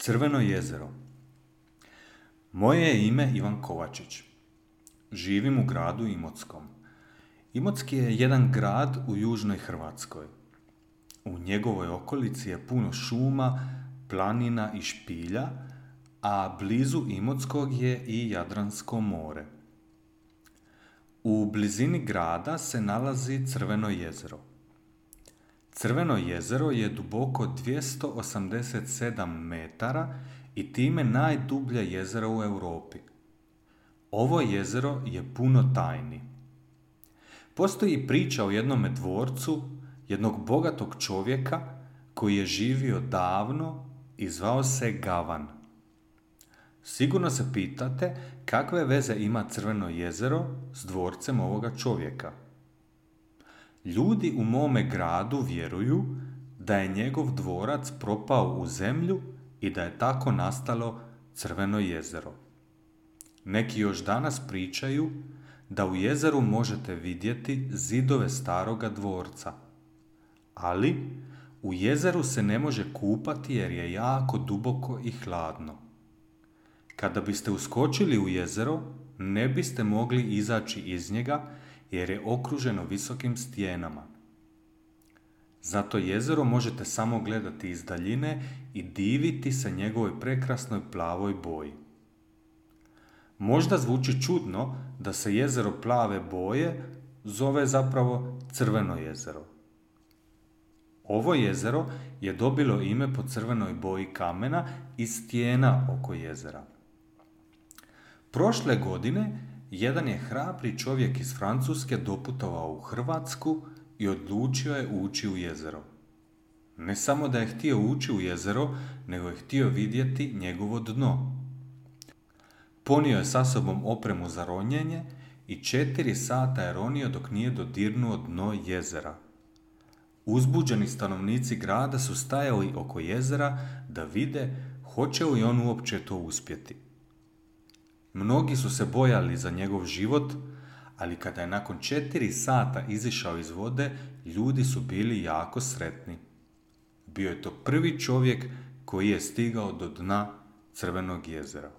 Crveno jezero. Moje je ime Ivan Kovačić. Živim u gradu Imotskom. Imotski je jedan grad u južnoj Hrvatskoj. U njegovoj okolici je puno šuma, planina i špilja, a blizu Imotskog je i Jadransko more. U blizini grada se nalazi Crveno jezero. Crveno jezero je duboko 287 metara i time najdublje jezero u Europi. Ovo jezero je puno tajni. Postoji priča o jednome dvorcu, jednog bogatog čovjeka koji je živio davno i zvao se Gavan. Sigurno se pitate kakve veze ima Crveno jezero s dvorcem ovoga čovjeka. Ljudi u mome gradu vjeruju da je njegov dvorac propao u zemlju i da je tako nastalo Crveno jezero. Neki još danas pričaju da u jezeru možete vidjeti zidove staroga dvorca. Ali u jezeru se ne može kupati jer je jako duboko i hladno. Kada biste uskočili u jezero, ne biste mogli izaći iz njega jer je okruženo visokim stijenama. Zato jezero možete samo gledati iz daljine i diviti se njegovoj prekrasnoj plavoj boji. Možda zvuči čudno da se jezero plave boje zove zapravo Crveno jezero. Ovo jezero je dobilo ime po crvenoj boji kamena i stijena oko jezera. Prošle godine jedan je hrabri čovjek iz Francuske doputovao u Hrvatsku i odlučio je ući u jezero. Ne samo da je htio ući u jezero, nego je htio vidjeti njegovo dno. Ponio je sa sobom opremu za ronjenje i 4 sata je ronio dok nije dodirnuo dno jezera. Uzbuđeni stanovnici grada su stajali oko jezera da vide hoće li on uopće to uspjeti. Mnogi su se bojali za njegov život, ali kada je nakon 4 sata izišao iz vode, ljudi su bili jako sretni. Bio je to prvi čovjek koji je stigao do dna Crvenog jezera.